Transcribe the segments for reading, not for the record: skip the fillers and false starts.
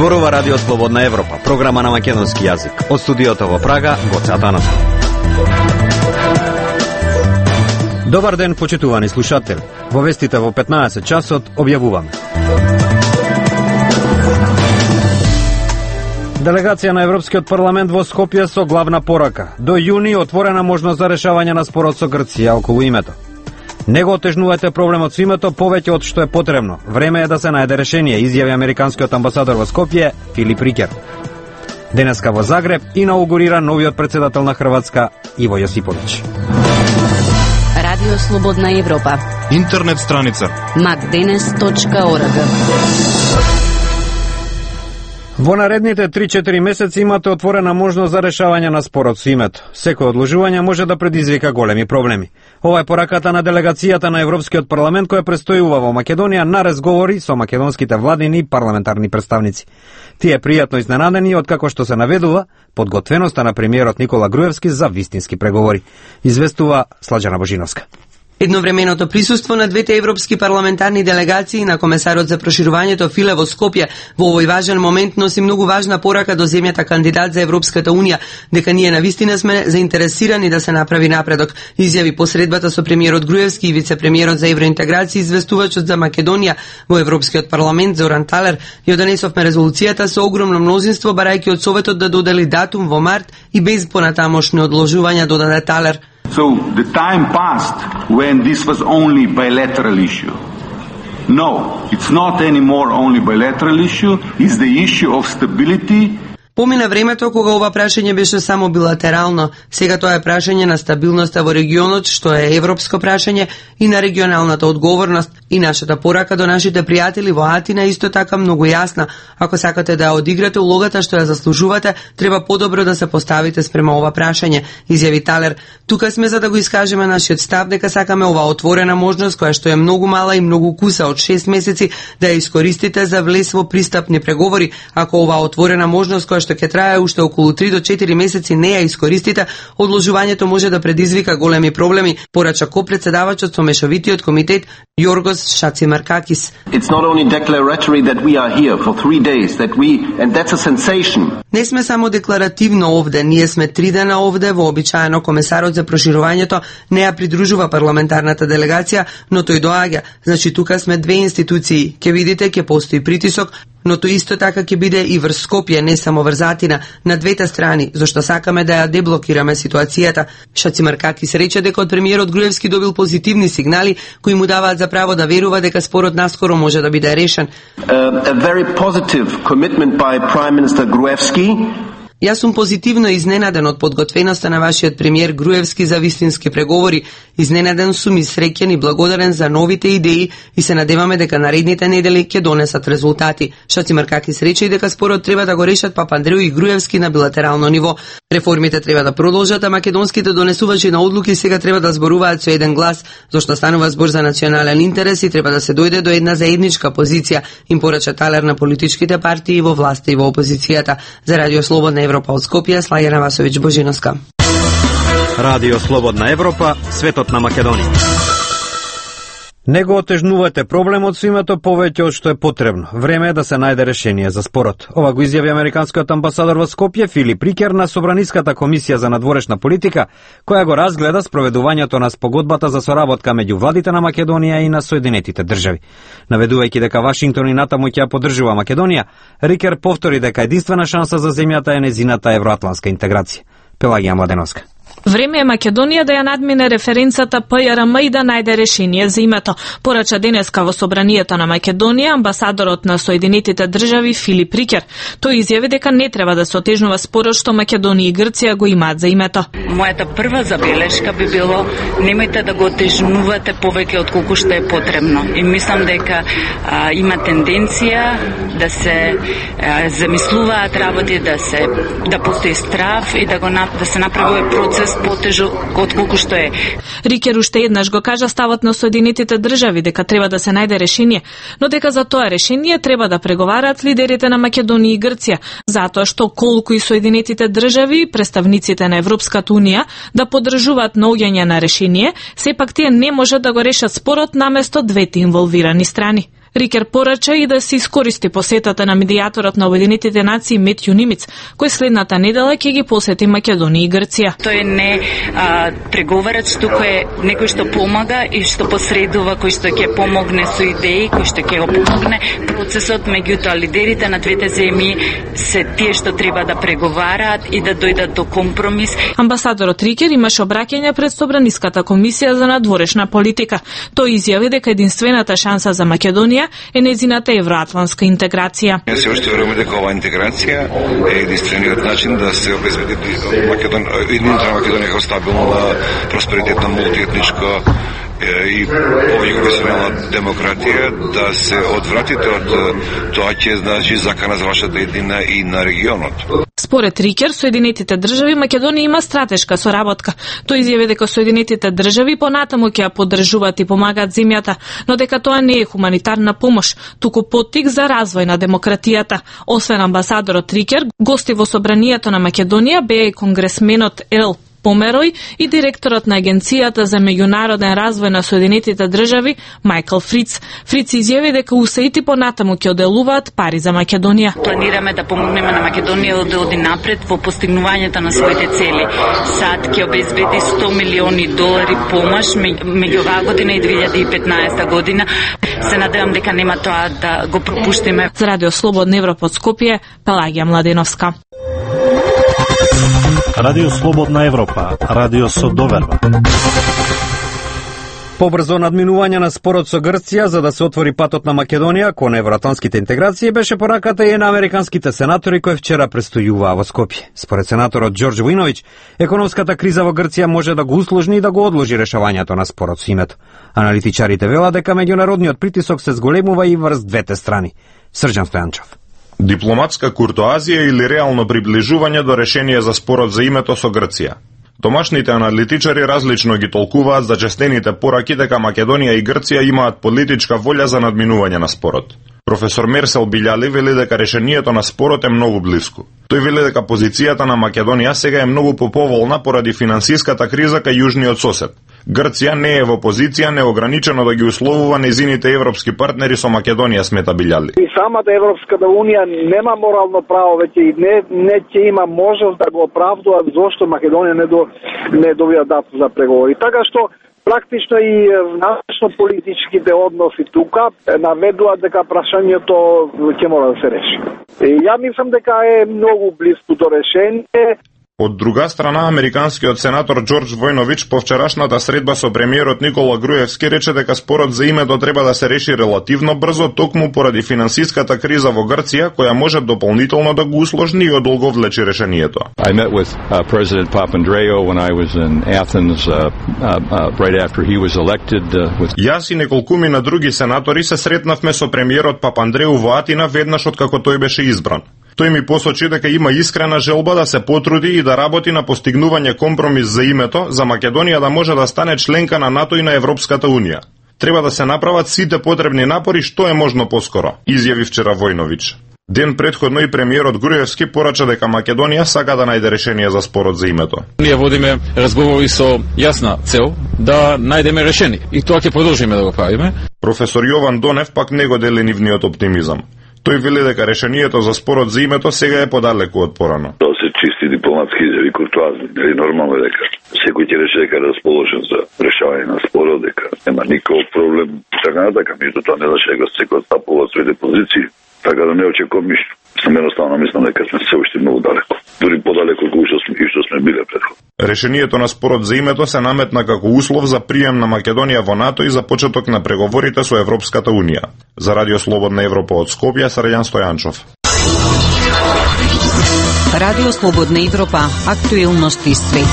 Зборува Радио Слободна Европа, програма на македонски јазик. Од студиото во Прага, Гоце Атанасов. Добар ден, почитувани слушатели. Во вестите во 15 часот објавуваме. Делегација на Европскиот парламент во Скопје со главна порака. До јуни отворена можност за решавање на спорот со Грција околу името. Не го отежнувате проблемот со името повеќе од што е потребно. Време е да се најде решение, изјави американскиот амбасадор во Скопје Филип Рикер. Денеска во Загреб инаугурира новиот претседател на Хрватска Иво Јосиповиќ. Радио Слободна Европа. Интернет страница macdenes.org. Во наредните 3-4 месеци имате отворена можност за решавање на спорот со името. Секој одложување може да предизвика големи проблеми. Ова е пораката на делегацијата на Европскиот парламент која престојува во Македонија на разговори со македонските владини и парламентарни представници. Тие пријатно изненадени откако што се наведува подготвеноста на премиерот Никола Груевски за вистински преговори. Известува Слаđana Божиновска. Едновременото присуство на двете европски парламентарни делегации на комесарот за проширувањето Филе во Скопје во овој важен момент носи многу важна порака до земјата кандидат за Европската Унија, дека ние навистина сме заинтересирани да се направи напредок, изјави посредбата со премиерот Груевски и вице-премиерот за евроинтеграција, известувачот за Македонија во Европскиот парламент Зоран Талер. Ја донесовме резолуцијата со огромно мнозинство, барајќи од Советот да додели датум во март и без понатамошни одложувања, додаде Талер. So the time passed when this was only bilateral issue. No, it's not anymore only bilateral issue. It's the issue of stability. Помина времето кога ова прашање беше само билатерално, сега тоа е прашање на стабилноста во регионот, што е европско прашање и на регионалната одговорност, и нашата порака до нашите пријатели во Атина исто така многу јасна. Ако сакате да одиграте улогата што ја заслужувате, треба подобро да се поставите спрема ова прашање, изјави Талер. Тука сме за да го искажеме нашиот став дека сакаме ова отворена можност која што е многу мала и многу куса од 6 месеци да ја искористите за влез во пристапни преговори. Ако ова отворена можност која што ќе трае уште околу 3 до 4 месеци не ја искористите, одложувањето може да предизвика големи проблеми, порача копредседавачот со мешовитиот комитет Јоргос Шацимаркакис. It's not only declaratory that we are here for 3 days and that's a sensation. Не сме само декларативно овде, ние сме 3 дена овде, вообичаено комесарот за проширувањето не ја придружува парламентарната делегација, но тој доаѓа. Значи тука сме две институции. Ќе видите, ќе постои притисок, но тоа исто така ќе биде и врз Скопје, не само врз Атина, на двете страни, зашто сакаме да ја деблокираме ситуацијата. Шацимаркакис рече дека од премиерот Груевски добил позитивни сигнали кои му даваат за право да верува дека спорот наскоро може да биде решен. A very positive commitment by Prime Minister Gruevski. Јас сум позитивно изненаден од подготвеноста на вашиот премиер Груевски за вистински преговори. Изненаден сум и среќен и благодарен за новите идеи и се надеваме дека наредните недели ќе донесат резултати. Шацимаркакис рече и дека спорот треба да го решат Папандреу и Груевски на билатерално ниво. Реформите треба да продолжат, а македонските донесувачи на одлуки сега треба да зборуваат со еден глас, зашто станува збор за национален интерес и треба да се дојде до една заедничка позиција, им порача Талер на политичките партии во власта и во опозицијата. За Радио Слободна Европа од Скопје, Слаѓана Васовиќ Божиновска. Радио Слободна Европа, светот на Македонија. Не го отежнувате проблемот со името повеќе од што е потребно. Време е да се најде решение за спорот. Ова го изјави американскиот амбасадор во Скопје Филип Рикер на Собраниската комисија за надворешна политика, која го разгледа спроведувањето на спогодбата за соработка меѓу владите на Македонија и на Соединетите држави. Наведувајќи дека Вашингтон и натаму ќе ја поддржува Македонија, Рикер повтори дека единствена шанса за земјата е незината евроатлантска интеграција. Пелагија Младеновска. Време е Македонија да ја надмине референцата ПЈРМ и да најде решение за името, порача денеска во Собранието на Македонија амбасадорот на Соединетите држави Филип Рикер. Тој изјави дека не треба да се отежнува спорот што Македонија и Грција го имаат за името. Мојата прва забелешка би било немојте да го отежнувате повеќе од колку што е потребно. И мислам дека има тенденција да се замислуваат работи, да постои страв и да се направи процес потежок од колку што е. Рикер уште еднаш го кажа ставот на Соединетите држави дека треба да се најде решение, но дека за тоа решение треба да преговараат лидерите на Македонија и Грција, затоа што колку и Соединетите држави, представниците на Европската Унија да поддржуваат наоѓање на решение, сепак тие не можат да го решат спорот наместо двете инволвирани страни. Рикер порача и да се искористи посетата на медијаторот на Обединетите нации Метју Нимиц, кој следната недела ќе ги посети Македонија и Грција. Тој не преговарач, туку е некој што помага и што посредува, кој што ќе помогне со идеи, кој што ќе го помогне процесот, меѓутоа лидерите на двете земји се тие што треба да преговараат и да дојдат до компромис. Амбасадорот Рикер имаше обраќање пред Собраниската комисија за надворешна политика. Тој изјави дека единствената шанса за Македонија е незината евроатлантска интеграција. Се уште веруваме дека оваа интеграција е единствениот начин да се обезбеди единствена Македонија како стабилна, просперитетна, мултиетничка и повеќе професионална демократија, да се одвратите од тоа ќе значи закана за вашата едина и на регионот. Според Рикер, Соединетите држави Македонија има стратешка соработка. Тој изјави дека Соединетите држави понатаму ќе ја поддржуваат и помагаат земјата, но дека тоа не е хуманитарна помош, туку поттик за развој на демократијата. Освен амбасадорот Рикер, гости во собранието на Македонија беа и конгресменот Ел Померој и директорот на Агенцијата за меѓународен развој на Соединетите држави Мајкл Фриц. Фриц изјави дека УСАИД понатаму ќе оделуваат пари за Македонија. Планираме да помогнеме на Македонија да оди напред во постигнувањето на своите цели. САД ќе обезбеди $100 милиони помош меѓу оваа година и 2015 година. Се надевам дека нема тоа да го пропуштиме. За Радио Слободна Европа од Скопје, Пелагија Младеновска. Радио Слободна Европа, радио со доверба. Побрзо надминување на спорот со Грција за да се отвори патот на Македонија кон евроатлантските интеграции беше пораката и на американските сенатори кои вчера престојуваа во Скопје. Според сенаторот Ѓорџ Војновиќ, економската криза во Грција може да го усложни и да го одложи решавањето на спорот со името. Аналитичарите велат дека меѓународниот притисок се зголемува и врз двете страни. Срđan Стојанчов. Дипломатска куртоазија или реално приближување до решение за спорот за името со Грција. Домашните аналитичари различно ги толкуваат зачестените пораки дека Македонија и Грција имаат политичка волја за надминување на спорот. Професор Мерсел Билјали вели дека решението на спорот е многу блиску. Тој вели дека позицијата на Македонија сега е многу поповолна поради финансиската криза кај јужниот сосед. Грција не е во позиција неограничено да ги условува незините европски партнери со Македонија, смета Билјали. И самата Европската унија нема морално право веќе и не ќе има можност да го оправдува зошто Македонија не добија датум за преговори. Така што практично и внатрешно политичките односи тука наведуваат дека прашањето ќе мора да се реши. Ја мислам дека е многу близко до решение. Од друга страна, американскиот сенатор Ѓорđ Војновиќ по вчерашната средба со премиерот Никола Груевски рече дека спорот за името треба да се реши релативно брзо, токму поради финансиската криза во Грција, која може дополнително да го усложни и одолговлечи решението. I met with President Papandreou when I was in Athens right after he was elected. Јас и неколкумина други сенатори се сретнавме со премиерот Папандреу во Атина веднаш откако тој беше избран. Тој ми посочи дека има искрена желба да се потруди и да работи на постигнување компромис за името за Македонија да може да стане членка на НАТО и на Европската Унија. Треба да се направат сите потребни напори што е можно поскоро, изјави вчера Војновиќ. Ден предходно и премиерот Груевски порача дека Македонија сака да најде решение за спорот за името. Ние водиме разговори со јасна цел да најдеме решение и тоа ќе продолжиме да го правиме. Професор Јован Донев пак не го дели нивниот оптимизам. Тој вели дека решението за спорот за името сега е подалеку од порано. Тоа се чисти дипломатски изјави, куртуазни. Нели нормално е дека секој ќе рече дека е расположен за решавање на спорот, дека нема никаков проблем. Така натака, меѓутоа не значи дека секој стапува своите позиции, така да не очекувам ништо. Сам едноставно мислам дека сме се уште многу далеко. Дури подалеку од што сме биле предходно. Решението на спорот за името се наметна како услов за прием на Македонија во НАТО и за почеток на преговорите со Европската Унија. За Радио Слободна Европа од Скопје, Срđan Стојанчов. Радио Слободна Европа, актуелности свет.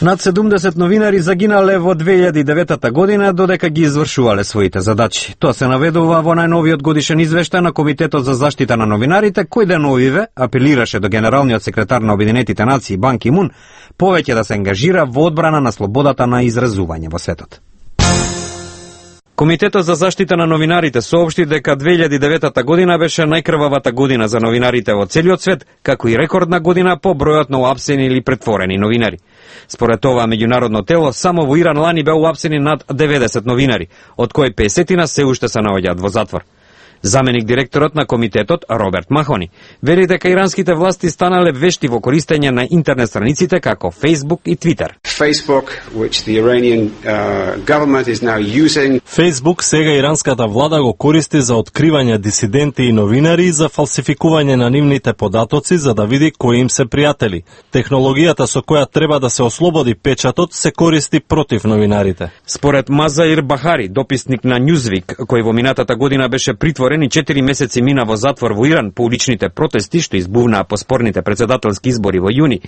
Над 70 новинари загинале во 2009 година додека ги извршувале своите задачи. Тоа се наведува во најновиот годишен извештај на Комитетот за заштита на новинарите, кој деновиве апелираше до генералниот секретар на Обединетите нации Бан Ки Мун повеќе да се ангажира во одбрана на слободата на изразување во светот. Комитетот за заштита на новинарите соопшти дека 2009 година беше најкрвавата година за новинарите во целиот свет, како и рекордна година по бројот на уапсени или претворени новинари. Според това меѓународно тело, само во Иран лани беа уапсени над 90 новинари, од кои 50 се уште се наоѓаат во затвор. Заменик директорот на комитетот Роберт Махони вели дека иранските власти станале вешти во користење на интернет страниците како Facebook и Twitter. Facebook сега иранската влада го користи за откривање дисиденти и новинари и за фалсификување на нивните податоци за да види кои им се пријатели. Технологијата со која треба да се ослободи печатот се користи против новинарите. Според Мазаир Бахари, дописник на Newsweek, кој во минатата година беше притворен и 4 месеци мина во затвор во Иран по уличните протести што избувнаа по спорните председателски избори во јуни,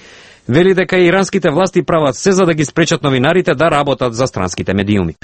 вели дека иранските власти прават се за да ги спречат новинарите да работат за странските медиуми.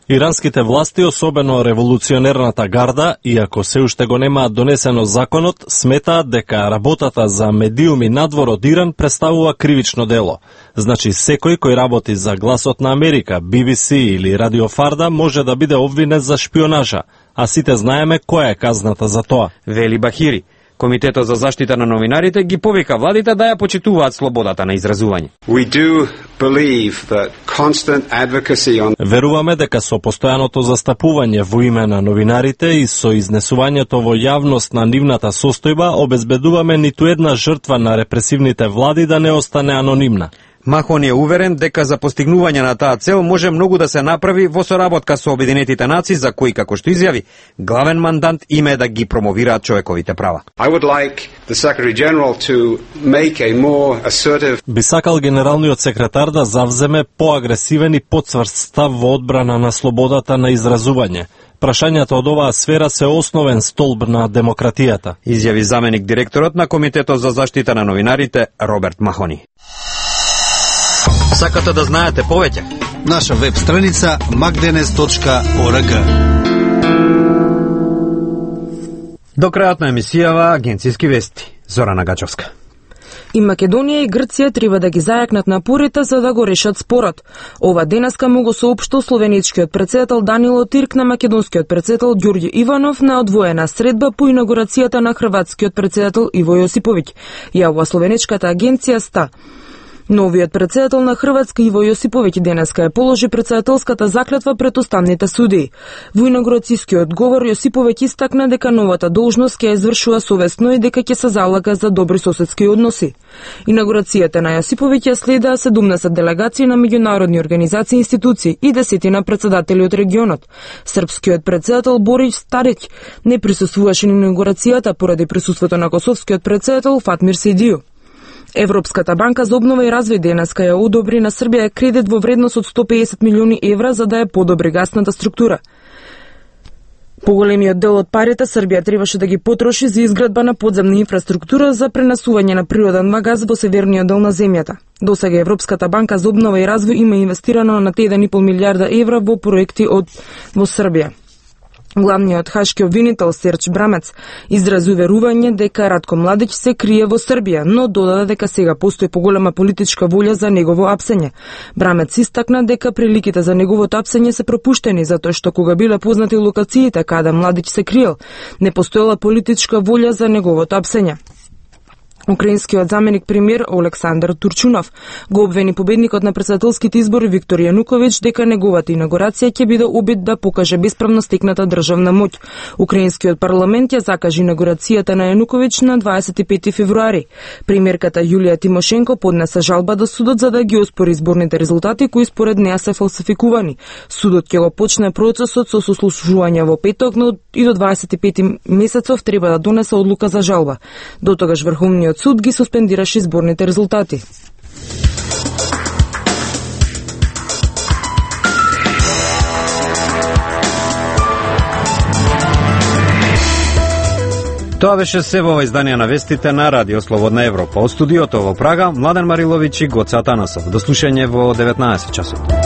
Иранските власти, особено револуционерната гарда, иако се уште го немаат донесено законот, сметаат дека работата за медиуми надвор од Иран представува кривично дело. Значи секој кој работи за Гласот на Америка, BBC или Радио Фарда може да биде обвинет за шпионажа, а сите знаеме која е казната за тоа, вели Бахири. Комитетот за заштита на новинарите ги повика владите да ја почитуваат слободата на изразување. Веруваме дека со постојаното застапување во име на новинарите и со изнесувањето во јавност на нивната состојба обезбедуваме ниту една жртва на репресивните влади да не остане анонимна. Махон е уверен дека за постигнување на таа цел може многу да се направи во соработка со Обединетите нации, за кои, како што изјави, главен мандант им е да ги промовираат човековите права. Би сакал генералниот секретар да завземе поагресивен и потцврст став во одбрана на слободата на изразување. Прашањата од оваа сфера се основен столб на демократијата, изјави заменик директорот на Комитетот за заштита на новинарите Роберт Махони. Сакате да знаете повеќе? Наша веб страница magdenes.org. До крајот на емисијава агенцијски вести. Зорана Гачовска. И Македонија и Грција треба да ги зајакнат напорите за да го решат спорот. Ова денеска му го соопштил словеничкиот председател Данило Тирк на македонскиот председател Ѓорѓе Иванов на одвоена средба по инаугурацијата на хрватскиот председател Иво Јосиповиќ, јавува словеничката агенција СТА. Новиот председател на Хрватска Иво Јосиповиќ денеска ја положи председателската заклетва пред уставните судии. Во инаугурацијскиот говор Јосиповиќ истакна дека новата должност ќе ја извршува совесно и дека ќе се залага за добри соседски односи. Инаугурацијата на Јосиповиќ ја следаа 17 делегации на меѓународни организации и институции и 10 председатели од регионот. Српскиот председател Борис Стариќ не присуствуваше на инаугурацијата поради присуството на косовскиот председател Фатмир Сидију. Европската банка за обнова и развој денеска ја одобри на Србија кредит во вредност од 150 милиони евра за да ја подобри гасната структура. Поголемиот дел од парите Србија требаше да ги потроши за изградба на подземна инфраструктура за пренесување на природен газ во северниот дел на земјата. Досега Европската банка за обнова и развој има инвестирано на 1,5 милијарда евра во проекти во Србија. Главниот хашки обвинител Серч Брамец изрази уверување дека Радко Младич се крие во Србија, но додаде дека сега постои поголема политичка волја за негово апсење. Брамец истакна дека приликите за неговото апсење се пропуштени затоа што кога биле познати локациите каде Младич се криел, не постоела политичка волја за неговото апсење. Украинскиот заменик премиер Олександар Турчунов го обвини победникот на председателските избори Виктор Јануковиќ дека неговата инаугурација ќе биде обид да покаже бесправно стекната државна моќ. Украинскиот парламент ја закажи инаугурацијата на Јануковиќ на 25 февруари. Премиерката Јулија Тимошенко поднесе жалба до судот за да ги оспори изборните резултати кои според неа се фалсификувани. Судот ќе го почне процесот со сослушување во петок, но и до 25 месецов треба да донесе одлука за жалба. До тогаш Врховниот суд ги суспендираше изборните резултати. Тоа беше се во издание на вестите на Радио Слободна Европа. Од студиото во Прага, Младен Мариловиќ и Гоце Атанасов. До слушање во 19 часот.